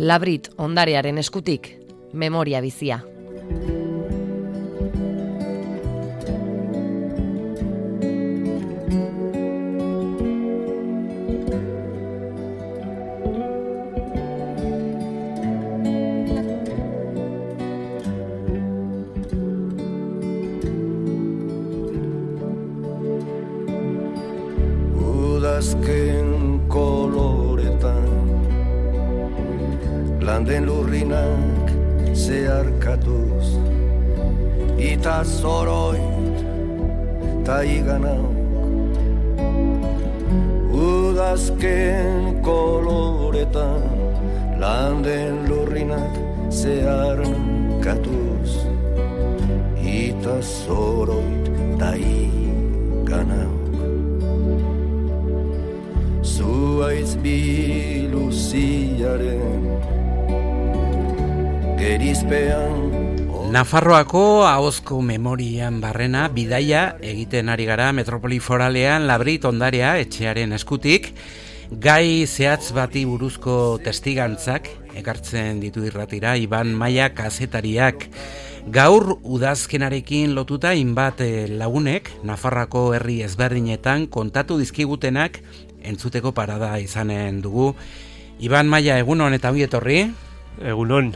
Labrit ondarearen eskutik, memoria bizia. Udazken koloretan landen lurrinak zeharkatuz ita zoroit ta iganauk. Udazken koloretan landen lurrinak zeharkatuz ita zoroit ta iganauk. Zuaiz biluziaren gerizpean. Nafarroako ahozko memorian barrena bidaia egiten ari gara metropoli foralean Labrit ondarea etxearen eskutik. Gai zehatz bati buruzko testigantzak ekartzen ditu irratira Iban Maia kazetariak. Gaur udazkenarekin lotuta hainbat lagunek Nafarroako herri ezberdinetan kontatu dizkigutenak entzuteko parada izanen dugu. Iban Maia, egunon eta ongi etorri? Egunon.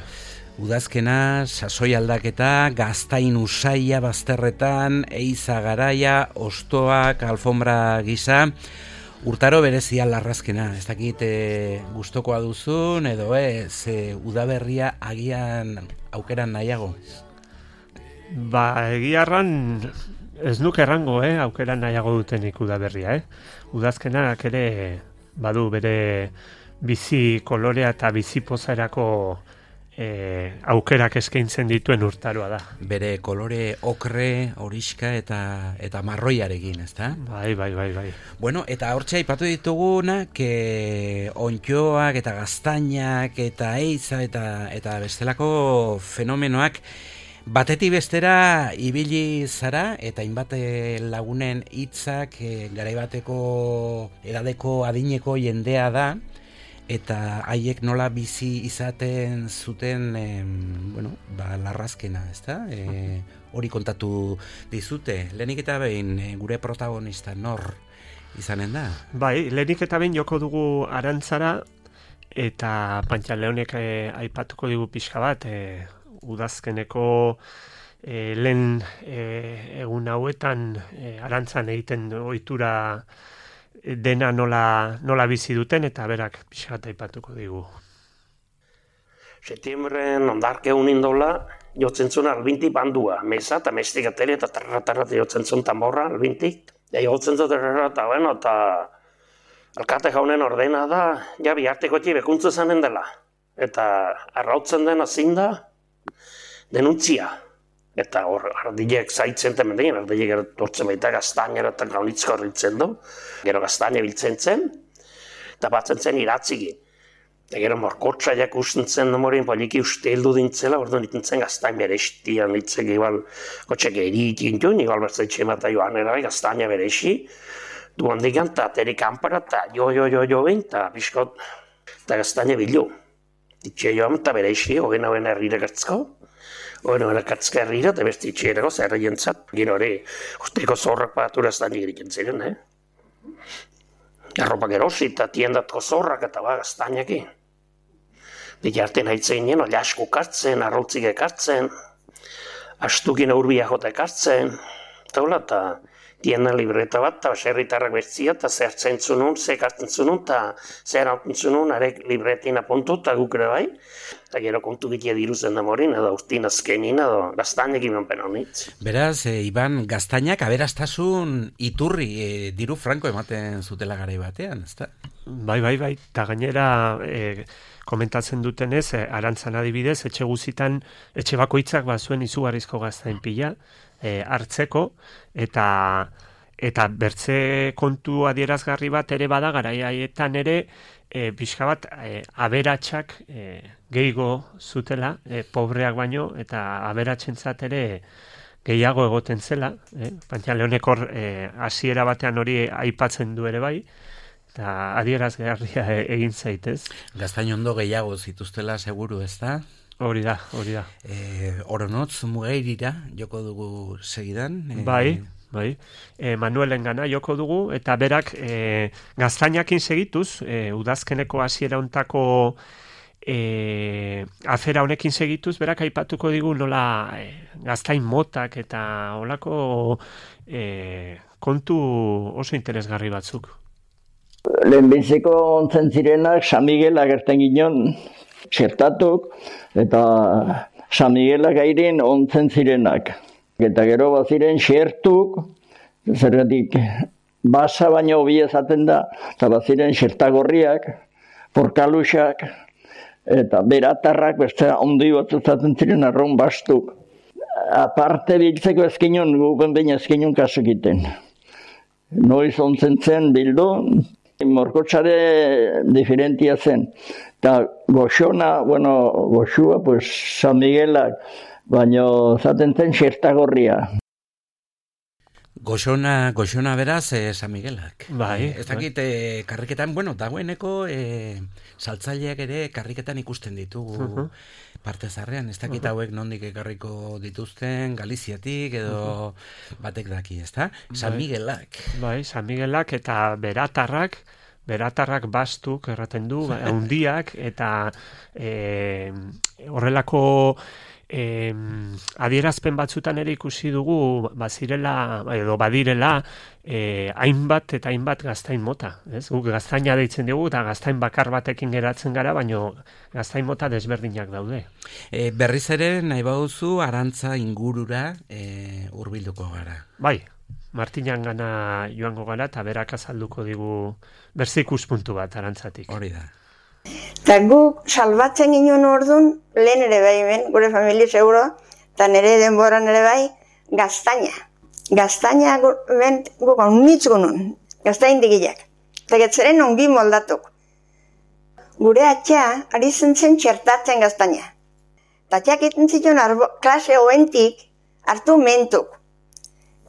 Udazkena, sasoi aldaketa, gaztain usaia bazterretan, eiza garaia, ostoak, alfombra gisa, urtaro berezia larrazkena. Ez dakit gustokoa duzun edo ez, udaberria agian aukeran nahiago? Egiarran ez nuke errango, aukeran nahiago dutenik udaberria, Udazkenak ere badu bere bizi kolorea eta bizi pozerako aukerak eskaintzen dituen urtaroa da. Bere kolore okre, horiska eta marroiarekin, ezta? Bai. Bueno, eta hortxe aipatu ditugunak ontxoak eta gaztainak eta eiza eta bestelako fenomenoak batetik bestera ibili zara eta hainbat lagunen hitzak garaibateko edadeko adineko jendea da eta haiek nola bizi izaten zuten larrazkena, ezta? Hori kontatu dizute. Lehenik eta behin gure protagonista nor izanen da? Bai, lehenik eta behin joko dugu Arantzara eta Pantxaleonek aipatuko digu pixka bat udazkeneko lehen egun hauetan Arantzan egiten ohitura dena nola bizi duten eta berak pixkat aipatuko digu. Setiembren ondarke unin dola jotzen zuen albinti bandua, meza eta mestikateri eta tarra jotzen zuen tamborra albintik. Jotzen zuen eta alkate jaunen ordena da, ja biharteko bekuntzu zanen dela. Eta arrautzen den azin da, denuntzia. Eta hor, ardilek zaitzen temendegin, ardilek tortzen baita gaztainera eta gaunitzko horritzen du. Gero gaztaine biltzen zen, eta batzen zen iratzigi. Eta gero morkotxa jakusten zen nomorin, poliki uste heldu dintzela, orduan iten zen gaztain berestian, ditzek igual kotxek eritik duen, igual bertzaitxe emata joan erabai gaztaina beresi. Duan digan, eta ateri kanpara, eta jo behin, eta biskot, eta gaztaina bilu. Ditxe joan, eta beresi, hogen hauen herrire gertzko. Hogen erakatzka herrira, eta besti itxerako zer jentzat. Gero hori, usteko zorrak pagatura ez da nigeriken ziren, Arropak erosi eta tiendatko zorrak eta gaztainaki. Dike artean haitzen ginen, olasko kartzen, arroltzik ekartzen, astukin aurbia jota ekartzen, eta tiendan libreta bat, eta baserritarrak bertzia, eta zer zentzunun, zer kartzen zunun, eta zer hartzen zunun, arek libretin apuntu, eta gukere bai. Eta gero kontu gitia diruzen da morin, edo urtin azkenin, edo gaztainak iman penonitz. Beraz, Iban, gaztainak aberastasun iturri diru franko ematen zutela garai batean, ezta? Bai, eta gainera komentatzen dutenez, Arantzan adibidez, etxe guzitan, etxe bakoitzak zuen izugarrizko gaztain pila, hartzeko, eta bertze kontu adierazgarri bat ere bada, garaietan ere, pixka bat aberatsak gehiago zutela, pobreak baino, eta aberatsentzat ere gehiago egoten zela. Pantxaleonek hor hasiera batean hori aipatzen du ere bai, eta adierazgarria egin zaitez. Gaztain ondo gehiago zituztela seguru, ez da? Hori da. Oronotz Mugairira joko dugu segidan. Bai. Manuelen gana joko dugu, eta berak gaztainakin segituz, udazkeneko hasiera hontako afera honekin segituz, berak aipatuko digu nola gaztain motak eta olako kontu oso interesgarri batzuk. Lehenbiziko ontzen zirenak San Miguela gerten ginen txertatuk, eta San Miguela gairin ontzen zirenak. Eta gero baziren xertuk, zergatik basa baino hobi ezaten da, eta baziren xertagorriak, porkaluxak, eta beratarrak, beste ondi bat ezaten ziren arron bastuk. Aparte biltzeko ezkinun, gupen baina ezkinun kasukiten. Noiz ontzen zen bildu, morkotxare diferentia zen. Eta goxona, goxua, pues San Miguelak, baina zaten zen xertagorria. Goxona beraz San Miguelak. Bai. Ez dakit karriketan, dagoeneko saltzaileak ere karriketan ikusten ditugu parte zarrean. Ez dakit hauek nondik ekarriko dituzten, Galiziatik edo batek daki, ez da? San Miguelak. Bai, San Miguelak eta beratarrak bastuk erraten du, handiak, eta horrelako adierazpen batzutan ere ikusi dugu bazirela edo badirela hainbat eta hainbat gaztain mota, ez? Guk gaztaina deitzen dugu eta gaztain bakar batekin geratzen gara, baino gaztain mota desberdinak daude. Berriz ere nahi baduzu Arantza ingurura hurbilduko gara. Bai, Martinan gana joango gara eta berak azalduko digu berze ikuspuntu bat Arantzatik. Hori da. Eta guk salbatzen ginen orduan, lehen ere bai hemen, gure familia seguro, eta nire denboran ere bai, gaztaina. Gaztaina guk onitz gunun, gaztain digilak. Eta getzeren ongi moldatuk. Gure atxa, ari zen txertatzen gaztaina. Eta atxak iten zituen klase hoentik hartu mentuk.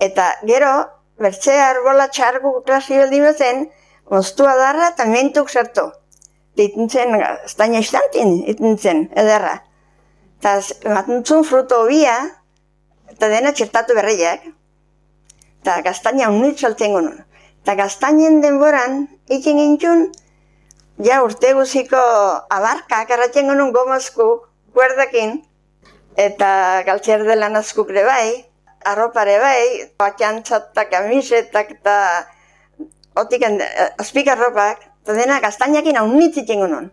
Eta gero, bertze arbola txargu klase beldi bezen, moztua darra eta mentuk sartu. Iten zen, gaztaina istantin, iten zen, ederra. Eta ematen zuen fruto hobia, eta dena txertatu berriak. Eta gaztaina unit saltzen gunun. Eta gaztainen denboran, ikin gintxun, ja urte guziko abarkak erratzen gunun gomazkuk, kuerdakin, eta galtxerdelan askuk ere bai, arropare bai, batxantzat eta kamisetak eta otik azpikarropak, eta dena gaztainakin haunitzitzen gunun.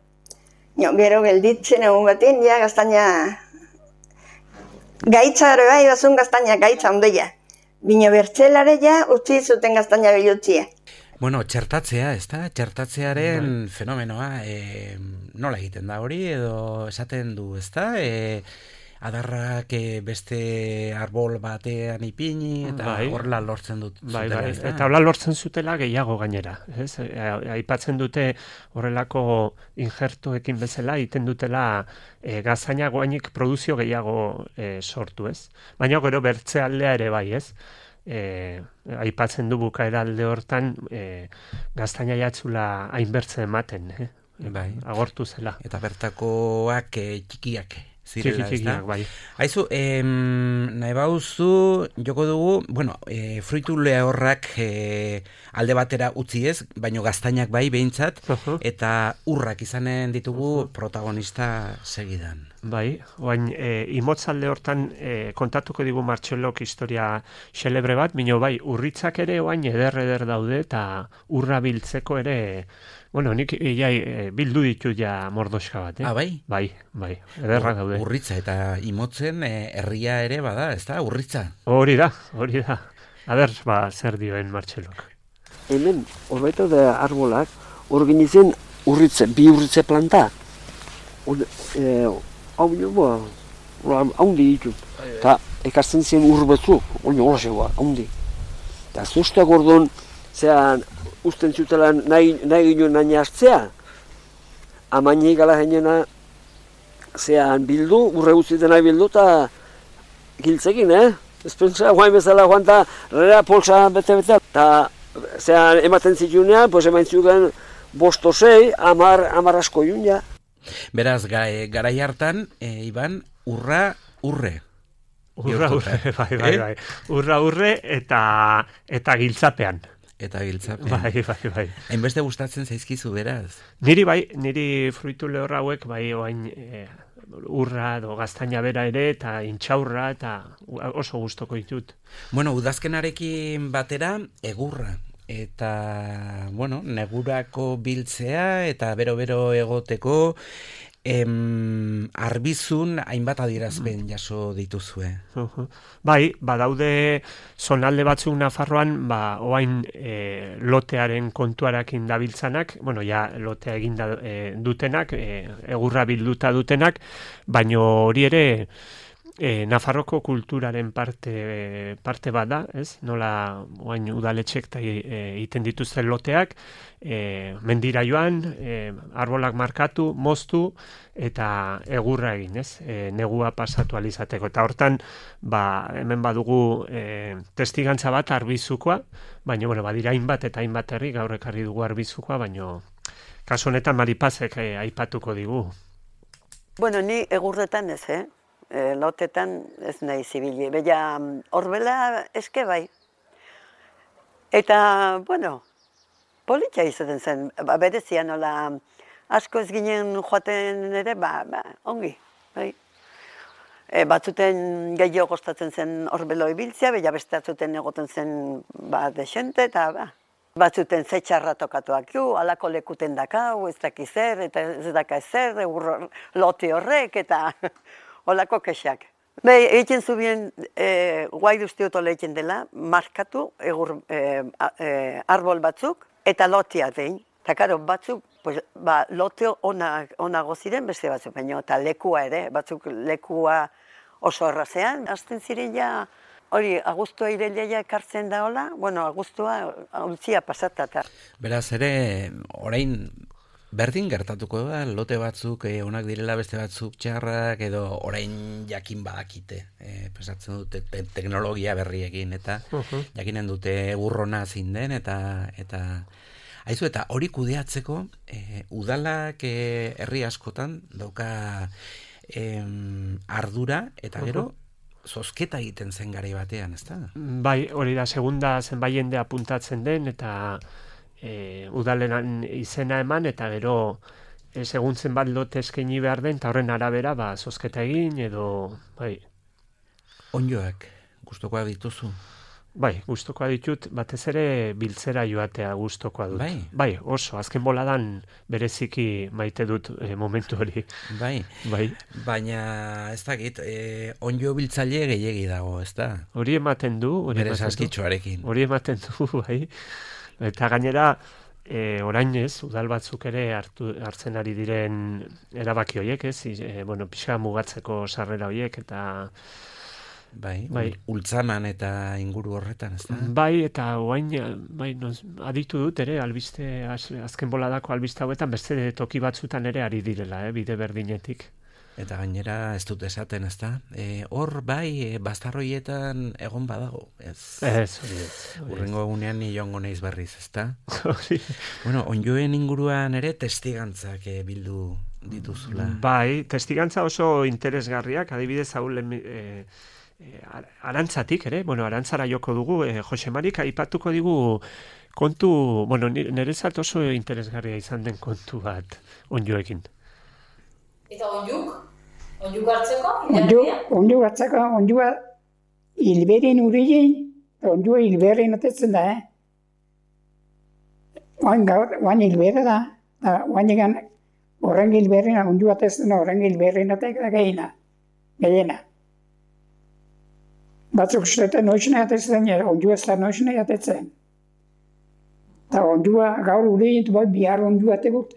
Gero gelditzen egun batin, ja gaztaina gaitza ere bai, bazun gaztaina gaitza ondoia. Bino bertzelare ja utzi zuten gaztaina bilutzia. Txertatzea, ez da? Txertatzearen fenomenoa nola egiten da hori, edo esaten du, ez da? Adarrak beste arbol batean ipini, eta horrela lortzen dut zutela. Eta horrela lortzen zutela gehiago gainera. Aipatzen dute horrelako injertoekin bezala, egiten dutela gaztaina goainik produzio gehiago sortu, ez? Baina gero bertze aldea ere bai, ez? Aipatzen du bukaera alde hortan gaztaina jatzula hainbertze ematen, agortu zela. Eta bertakoak txikiak. Txikiak, bai. Haizu, nahi bauzu, joko dugu, fruitu lehorrak alde batera utzi ez, baino gaztainak bai behintzat, eta urrak izanen ditugu protagonista segidan. Bai, oain, imotzalde hortan kontatuko digu Martxelok historia xelebre bat, bino bai, urritzak ere oain eder daude, eta urra biltzeko ere... nik bildu ditut ja mordoska bat, Ah, bai? Bai, ederrak daude. Urritza eta imotzen herria ere bada, ez da, urritza? Hori da. Aber, zer dioen Martxelok. Hemen, horbaito da arbolak, hor ginitzen bi urritze planta. Hau bino, haundi ditut. Eta ekartzen zen urbetzuk, hori zegoa, haundi. Eta zuzteak orduan, zean, usten zutela nahi ginen nahi hartzea. Amainei gala jenena zean bildu, urre guztietan nahi bildu eta giltzekin, Ez pentsa, guain bezala joan eta rera polsa bete-bete. Eta zean ematen zitunean, pues ematen zuten 5 o 6, 10 asko jun, ja. Beraz, garai hartan, Iban, urre. Urra, bai. Urra, eta giltzapean. Eta giltzapean. Bai. Hainbeste gustatzen zaizkizu, beraz? Niri fruitu lehor hauek, bai, oain urra, gaztaina bera ere, eta intxaurra, eta oso gustoko ditut. Bueno, udazkenarekin batera, egurra. Eta, bueno, negurako biltzea, eta bero-bero egoteko, arbizun hainbat adierazpen jaso dituzue. Bai, badaude zonalde batzuk Nafarroan, oain lotearen kontuarakin dabiltzanak, bueno, ja lotea egin dutenak, egurra bilduta dutenak, baino hori ere Nafarroko kulturaren parte bada, ez? Nola oain udaletxek egiten dituzten loteak, mendira joan, arbolak markatu, moztu, eta egurra egin, ez? Negua pasatu alizateko. Eta hortan, hemen badugu testigantza bat arbizukoa, baina, badira hainbat eta hainbat herri, gaur ekarri dugu arbizukoa, baina kasu honetan Maripazek aipatuko digu. Bueno, ni egurretan ez, lotetan ez nahi zibili. Baina horbela eske bai. Eta, bueno, politia izaten zen. Berezia nola asko ez ginen joaten ere, ongi. Bai. Batzuten gehiago kostatzen zen horbelo ibiltzea, baina beste batzuten egoten zen desente, eta batzuten zetxarra tokatuak ju, alako lekuten dakau, ez dakiz zer, eta ez daka ezer, lote horrek, eta olako kexak. Egiten zubien, guai duztiotola egiten dela, markatu arbol batzuk, eta lotia dein. Eta karo, batzuk, loteo onago ziren beste batzuk, baina eta lekua ere, batzuk lekua oso errazean. Azten ziren ja, hori, agustua irelia ekartzen da hola, bueno, agustua ultzia pasatata. Beraz ere, orain, berdin gertatuko da, lote batzuk onak direla, beste batzuk txarrak, edo orain jakin badakite. Pesatzen dute teknologia berriekin, eta jakinen dute burrona zin den, eta haizu, eta hori kudeatzeko, udalak herri askotan dauka ardura, eta gero, zozketa egiten zen garai batean, ez da? Bai, hori da, segunda zenbait jende apuntatzen den, eta udalenan izena eman, eta gero seguntzen bat lote eskaini behar den, eta horren arabera, zozketa egin, edo, bai. Onjoak, gustokoa dituzu? Bai, gustokoa ditut, batez ere biltzera joatea gustokoa dut. Bai, oso, azken boladan bereziki maite dut momentu hori. Bai, baina ez dakit, onjo biltzaile gehiegi dago, ez da? Hori ematen du. Bere saskitxoarekin. Hori ematen du, bai. Eta gainera, orain ez, udal batzuk ere hartzen ari diren erabaki horiek, ez? Pixa mugatzeko sarrera horiek, eta Bai, ultzaman eta inguru horretan, ez da? Bai, eta oain, aditu dut ere, albiste, azken boladako albiste hauetan, beste toki batzutan ere ari direla, bide berdinetik. Eta gainera ez dut esaten, ez da? Hor, bai, bastarroietan egon badago, ez? Ez. Urrengo egunean ni joango naiz berriz, ez da? Bueno, onjoen inguruan ere testigantzak bildu dituzula. Bai, testigantza oso interesgarriak, adibidez hau arantzatik ere, arantzara joko dugu, Jose Marik aipatuko digu kontu, nerezat oso interesgarria izan den kontu bat onjoekin. Eta onjuk? Onjuk hartzeko? Onjuk hartzeko, onjua hilberin urigin, onjua hilberin atetzen da, Oain hilberra da, oain egan horren hilberin, onjua atetzen da, horren hilberin atetzen da gehiena. Batzuk ustetan noitzena atetzen, onjua ez da noitzena atetzen. Eta onjua gaur urigin, bihar onjua ategut.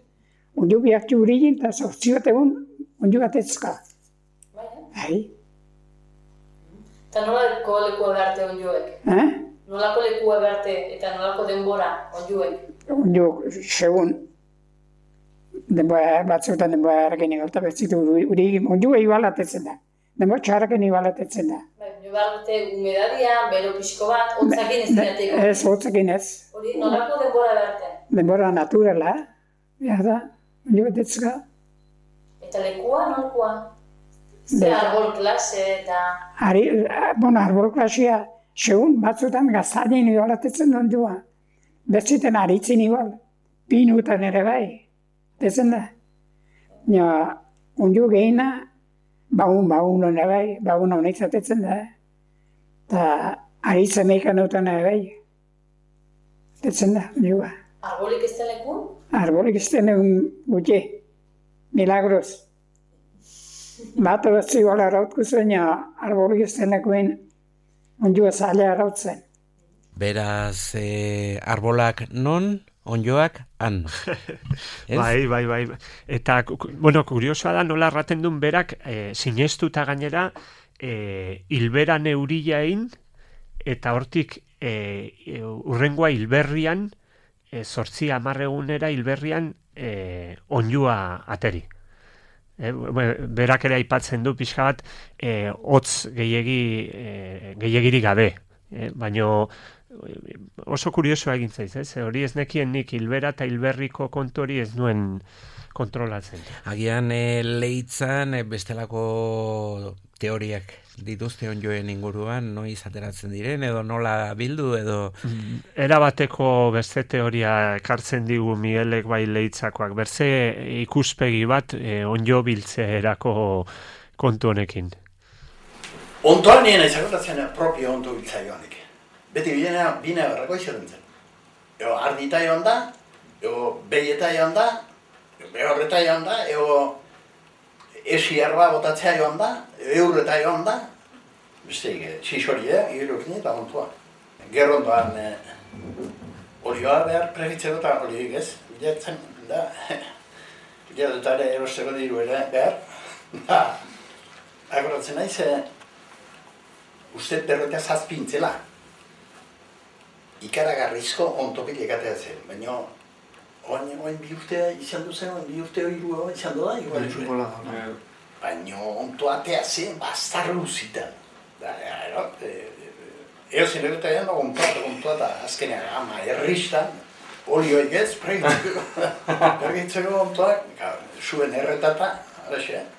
Onju bihartu urigin, eta sortzi bat egun, onju atetzka. Bai. Eta nolako lekua beharte onjuek? Nolako lekua beharte eta nolako denbora onjuek? Onju, segun. Batzutan denbora harraken egalta betzitu urigin. Onju igual atetzen da. Denbora txarraken igual atetzen da. Onju behar dute humedadia, bero pixko bat, hotzakin ez diateko? Ez, hotzakin ez. Hori, nolako denbora beharte? Denbora naturala, da, onju batetzka. Eta lekua, nolkoa? Ze arbol klase eta... Arbol klasea, segun batzutan gaztainen igualatetzen ondua. Bertziten aritzen igual, pinutan ere bai, dezen da. Onju gehiena, baun ere bai, baun hona izatetzen da. Eta aritzen eikan eutan ere bai. Detzen da, onjua. Arbolik ez den leku? Arbolik ez den gutxe, milagros. Bat batzu igual arautku zen, arbolik ez den lekuen onjua zaila arautzen. Beraz, arbolak non, onjoak han. Bai. Eta, bueno, kuriosoa da nola erraten duen berak, sinestuta gainera, hilbera neuriain, eta hortik urrengoa hilberrian, 8-10 egunera hilberrian onjua ateri. Berak ere aipatzen du pixka bat hotz gehiagirik gabe. Baina oso kuriosoa egin zaiz, hori ez nekien nik hilbera eta hilberriko kontu hori ez nuen kontrolatzen. Agian leitzan bestelako teoriak dituzte onjoen inguruan, noiz ateratzen diren, edo nola bildu, edo... Erabateko beste teoria ekartzen digu Miguelek bai leitzakoak, berze ikuspegi bat onjo biltzeerako kontu honekin. Ontoan niena izakotatzen propio onto biltzaioanek. Beti bine berrako izaten zen. Ego ardita joan da, ego behieta joan da, behorreta joan da, ego esiarba botatzea joan da, eurreta joan da, besteik, txixorie, irukin eta ontoa. Gerrondoan olioa behar prefitzeko eta olioik ez, bilatzen da, bilatutare erosteko diru ere behar. Agoratzen naiz, uste berroita zazpintzela. Ikaragarrizko ontopik ekatea zen, baina oain bi urte izan duzen, oain bi urte hori izan du da, igual. Baina ontoatea zen, bastar luzitan. Eo zen egotean, ontoa eta azkenean ama erristan, olioik ez, pergitzeko ontoak, zuen erretata, araxean.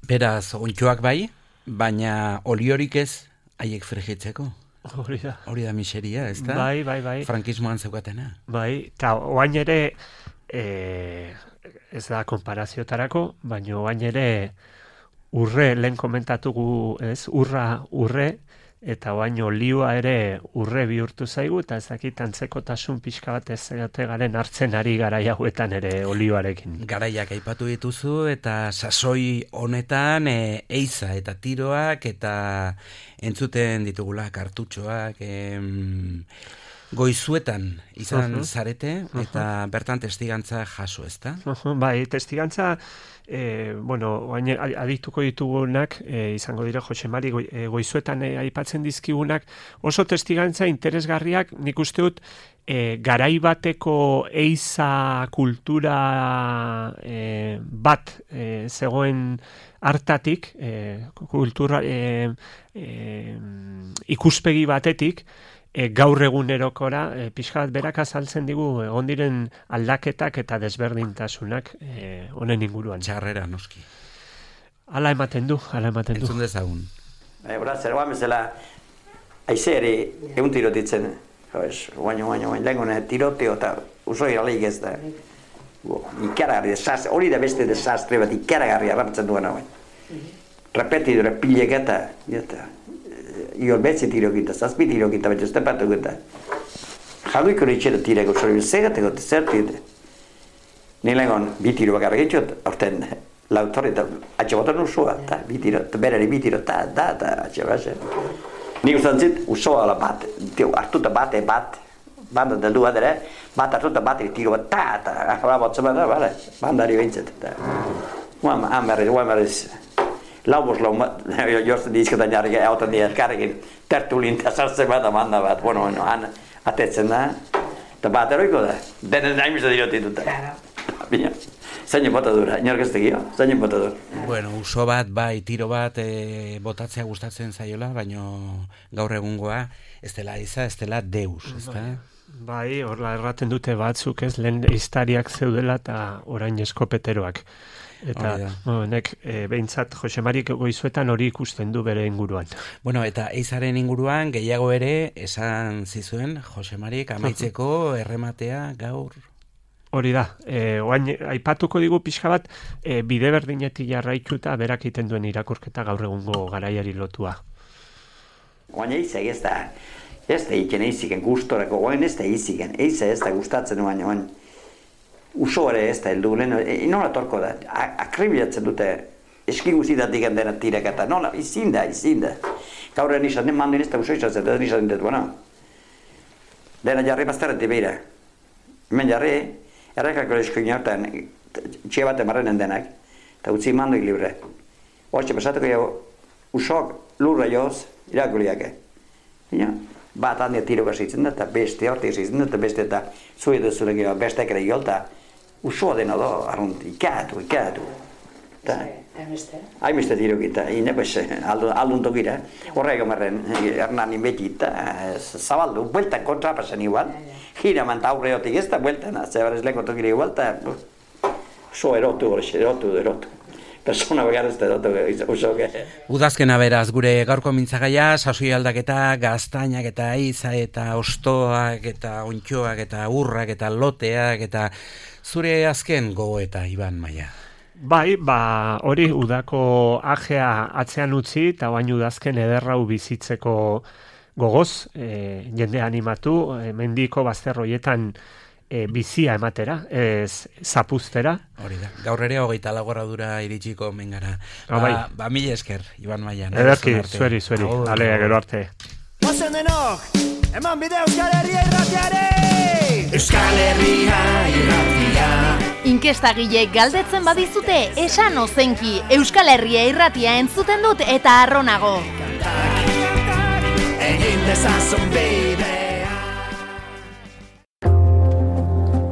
Beraz, ontxoak bai, baina oliorik ez haiek frigitzeko. Hori da miseria, ez da? Bai. Frankismoan zeukatena. Bai, eta oain ere, ez da konparaziotarako, baina oain ere urre, lehen komentatugu, ez, urre, eta oain olioa ere urre bihurtu zaigu, eta ez dakit antzekotasun pixka bat ez garen hartzen ari garai hauetan ere olioarekin. Garaiak aipatu dituzu, eta sasoi honetan eiza eta tiroak, eta entzuten ditugula kartutxoak, goizuetan izan zarete, eta bertan testigantza jaso, ez da? Bai, testigantza, adituko ditugunak, izango dira Jose Mari goizuetan aipatzen dizkigunak, oso testigantza interesgarriak, nik uste dut, garai bateko eiza kultura bat zegoen hartatik, kultura ikuspegi batetik, gaur egunerokora, pixka bat berak azaltzen digu egon diren aldaketak eta desberdintasunak honen inguruan. Txarrera, noski. Hala ematen du. Entzun dezagun. Hora, zer guan bezala, aizeari egun tirotitzen, guain lehengone tiroteo eta usoi aleik ez da. Ikaragarri, hori da beste desastre bat ikaragarria bartzen duena guain. Repetidore pilek eta Iol betzi tirokita, zazpi tirokita, betz uste patukuta. Jaduiko ritxera tireko, zori zegateko, zertite. Nilengon, bi tiro bakarra getxot, orten, lautorri eta atxe botan usua, eta bi tiro, berari bi tiro, eta atxe base. Nik usan zit, usua ala bat, hartuta bat, banda deldu bat ere, bat hartuta bat, tiro bat, eta ahora botza bat, bandari behintzet. Guam berriz, Laubos jortzen dizketan jarrik hautan elkarrekin tertulin eta sartzen bat amanda bat, han atetzen da, eta bat eroiko da, denen naimizta dirotituta. Zainen botadura, inork ez tegio, zainen botadura. Bueno, uso bat, bai, tiro bat botatzea gustatzen zaiola, baino gaur egungoa ez dela iza, ez dela deus, ez da? Bai, horla erraten dute batzuk, ez, lehen iztariak zeudela eta orain eskopeteroak. Eta nek behintzat Josemarik Goizuetan hori ikusten du bere inguruan. Bueno, eta eizaren inguruan gehiago ere esan zizuen Josemarik amaitzeko errematea gaur. Hori da, oain aipatuko digu pixka bat bide berdinetik jarraituta berak iten duen irakurketa gaur egungo garaiari lotua. Oain eizak ez da iken eiziken gustorako, oain ez da eiziken, eiza ez da gustatzen oain uso ere ez da heldu, nola torko da, akribilatzen dute eskiguzitatik dena tirek eta nola, izin da. Gaur nizan, mandu nizta uso izatzen, eta nizan dintetu, dena jarri bazterretik behira. Hemen jarri, errekako eskoin hortan, txie bat emarrenen denak, eta utzi manduik libre. Hortxe, pasatuko jau, usok lurra joz, irakuliake. Bat handia tiro gazitzen da, eta beste hortik zitzen da, eta beste eta zui duzulek jo, beste ekera jolta, usoa dena do, arrunt, ikatu. Haimeste tiro gita, aldun tokira, horrek omarren, ernan inbeti, zabaldu, bueltan kontrapasen igual, gira manta aurreotik ez da bueltan, zebar ez lehen tokira igual, eta so erotu. Persona begarrez da usoke. Udazkena beraz, gure gaurko mintzagaia, sasoi aldaketa, gaztainak eta eiza eta ostoak eta ontxoak eta urrak eta loteak eta zure azken gogoeta, Iban Maia. Bai, hori udako ajea atzean utzi eta bain udazken ederrau bizitzeko gogoz, jende animatu, mendiko bazterroietan bizia ematera, ez zapuztera. Hori da, gaur ere 24 dura iritsiko mengara. Mila esker, Iban Maia. Ederki, zueri, ale, gero arte. Ozen denok, eman bide Euskal Herria irratiare! Euskal Herria irratia. Inkestagileek galdetzen badizute, esan ozenki, Euskal Herria irratia entzuten dut eta arronago. Egin dezazun behin.